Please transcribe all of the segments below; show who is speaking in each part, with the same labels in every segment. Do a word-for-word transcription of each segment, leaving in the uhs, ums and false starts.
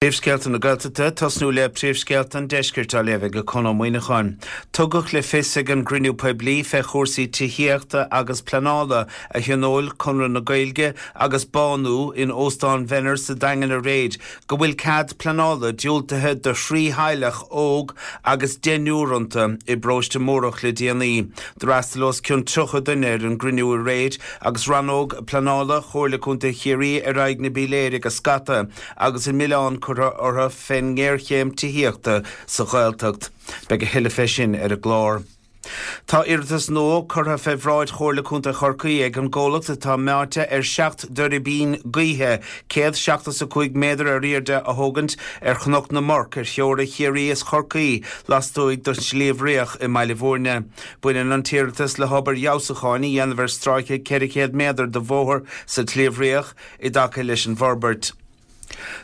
Speaker 1: Príomhscéalta na Gaeltachta tosnú le príomhscéalta an deiscirt á léamh ag Conn Ó Muíneacháin. Tugadh le fios ag an gcruinniú poiblí fé chúrsaí tithíochta agus pleanála a thionóil Conradh na Gaeilge agus Bánú in Óstán Venner sa Daingean aréir go bhfuil cead pleanála diúltaithe do thrí theaghlach óg agus deichniúr iontu i bparóiste Mórdhach le déanaí. D'fhreastail os cionn tríocha duine ar an gcruinniú aréir agus rannóg pleanála Chomhairle Contae Chiarraí ar aghaidh na bpiléir ag scata agus an milleán curtha orthu fén ngéarchéim tithíochta sa Ghaeltacht. Beidh a thuilleadh fé sin ar an gclár. Tá iarratas nua curtha fé bhráid Chomhairle Contae Chorcaí ag an gcomhlacht atá meáite ar seacht dtuirbín gaoithe céad seachtó is a cúig méadar ar airde a thógaint ar Chnoc na mBorc ar theora Chiarraí is Chorcaí lastuaidh den Sliabh Riach i mBaile Bhúirne. Baineann an t-iarratas le hobair fheabhsúcháin a dhéanamh ar stráice ceithre chéad méadar de bhóthar sa tSliabh Riach i dtaca leis an bhforbairt.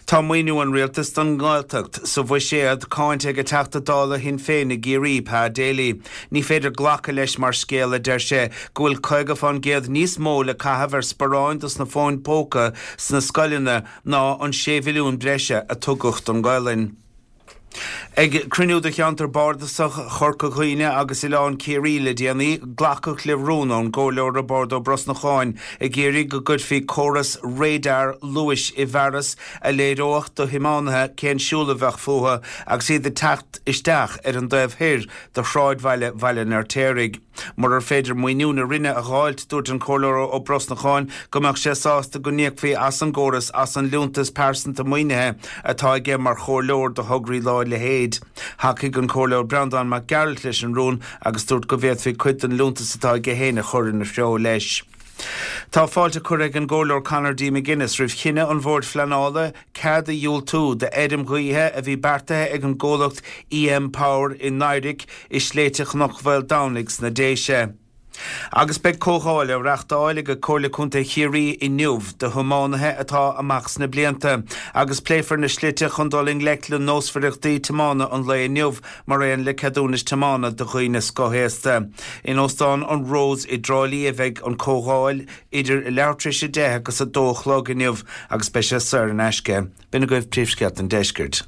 Speaker 1: Tá maoiniú an rialtais don nGaeltacht sa bhuiséad cáinte ag an Teachta Dála Shinn Féin i gCiarraí, Pa Daly. Ní féidir glacadh leis mar scéal, a deir sé, go bhfuil caoga fán gcéad níos mó le caitheamh ar sparáin dos na fóin póca sna scoileanna ná an sé mhilliún breise a tugadh don Ghaelainn. Ag cruinniú de cheantar bardasach Chorca Dhuibhne agus Oileán Ciarraí le déanaí, glacadh le rún ón gComhairleoir Roibeárd Ó Brosnacháin ag iarraidh go gcuirfí córas radar luais i bhfearas a léireodh do thiománaithe cén siúl a bheadh fúthu agus iad ag teacht isteach ar an dtaobh thoir de shráidbhaile Bhaile an Fheirtéaraigh. Murar féidir maoiniú na Roinne a dh'fháilt, dúirt an Comhairleoir Ó Brosnacháin go mbeadh sé sásta go n-íocfaí as an gcóras as an liúntas pearsanta maoinithe atá aige mar chomhairleoir do thograí dá leithéid. Thacaigh an Comhairleoir Breandán Mac Gearailt leis an rún agus dúirt go bhféadfaí cuid den liúntas atá aige féin a chur ina threo leis. Tá fáilte curtha ag an gComhairleoir Conor D. McGuinness roimh chinneadh an Bhoird Phleanála cead a dhiúltú d'fheirm ghaoithe a bhí beartaithe ag an gcomhlacht EM Power i nDaidhric i sléibhte Chnoc Mhaoldomhnaigh sna Déise. Agus beidh comhdháil á reachtáil ag Comhairle Contae Chiarraí inniu do thiománaithe atá amach sna blianta agus pléifear na slite chun dul i ngleic le nósmhaireachtaí tiomána an lae inniu mar aon le ceadúnais tiomána do dhaoine scothaosta. In Óstán an Rose i dTrá Lí a bheidh an comhdháil idir leathuair tar éis a deich agus a dó a chlog inniu agus beidh sé saor in aisce. B'in agaibh príomhscéalta an deiscirt.